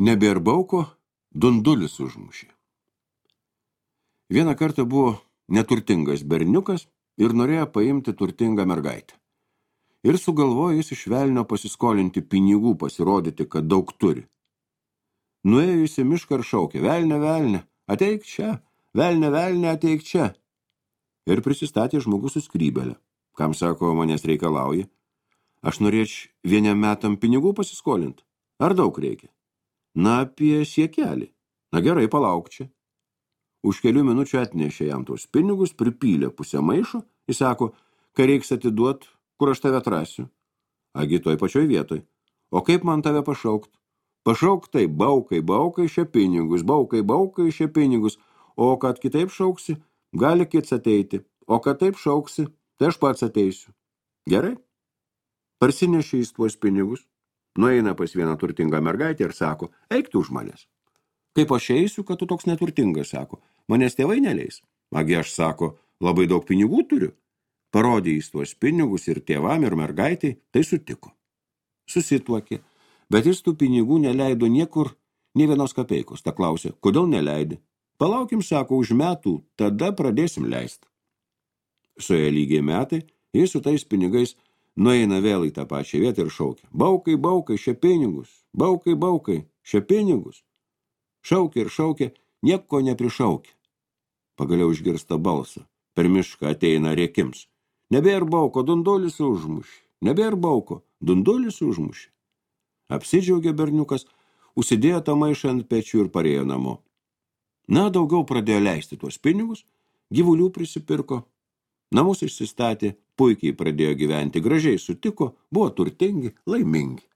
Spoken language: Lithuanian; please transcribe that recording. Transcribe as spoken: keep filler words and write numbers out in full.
Nebėr bauko, dundulis užmušė. Vieną kartą buvo neturtingas berniukas ir norėjo paimti turtingą mergaitę. Ir sugalvojo jis iš velnio pasiskolinti pinigų, pasirodyti, kad daug turi. Nuėjo jis į mišką ir šaukė, velne, velne, ateik čia, velne, velne, ateik čia. Ir prisistatė žmogus su skrybelė. Kam sako, manęs reikalauja? Aš norėčiau vieniem metam pinigų pasiskolinti. Ar daug reikia? Na, apie siekelį. Na gerai, palauk čia. Už kelių minučių atnešė jam tos pinigus, pripylė pusę maišo, jis sako, ką reiks atiduot, kur aš tave atrasiu. Agi toj pačioj vietoj. O kaip man tave pašaukt? Pašauk tai, baukai, baukai, šia pinigus, baukai, baukai, šia pinigus. O kad kitaip šauksi, gali kits ateiti. O kad taip šauksi, tai aš pats ateisiu. Gerai? Parsinešė jis tuos pinigus, nueina pas vieną turtingą mergaitę ir sako, eik tu už manęs. Kaip aš eisiu, kad tu toks neturtingas, sako, manęs tėvai neleis. Agi aš, sako, labai daug pinigų turiu. Parodė jis tuos pinigus ir tėvam ir mergaitai, tai sutiko. Susituokė, bet jis tų pinigų neleido niekur, nė vienos kapeikos. Ta klausė, kodėl neleidi? Palaukim, sako, už metų, tada pradėsim leisti. Suėjo lygiai metai, jis su tais pinigais nueina vėl į tą pačią vietą ir šaukia. Baukai, baukai, šia pinigus, baukai, baukai, šia pinigus. Šaukė ir šaukė, nieko neprišaukė. Pagaliau išgirsta balsą. Per mišką ateina rėkims. Nebėr bauko, dundulis užmušė. Nebėr bauko, dundulis užmušė. Apsidžiaugė berniukas, užsidėjo tą maišą ant pečių ir parėjo namo. Na, daugiau pradėjo leisti tuos pinigus, gyvulių prisipirko, namus išsistatė, puikiai pradėjo gyventi, gražiai sutiko, buvo turtingi, laimingi.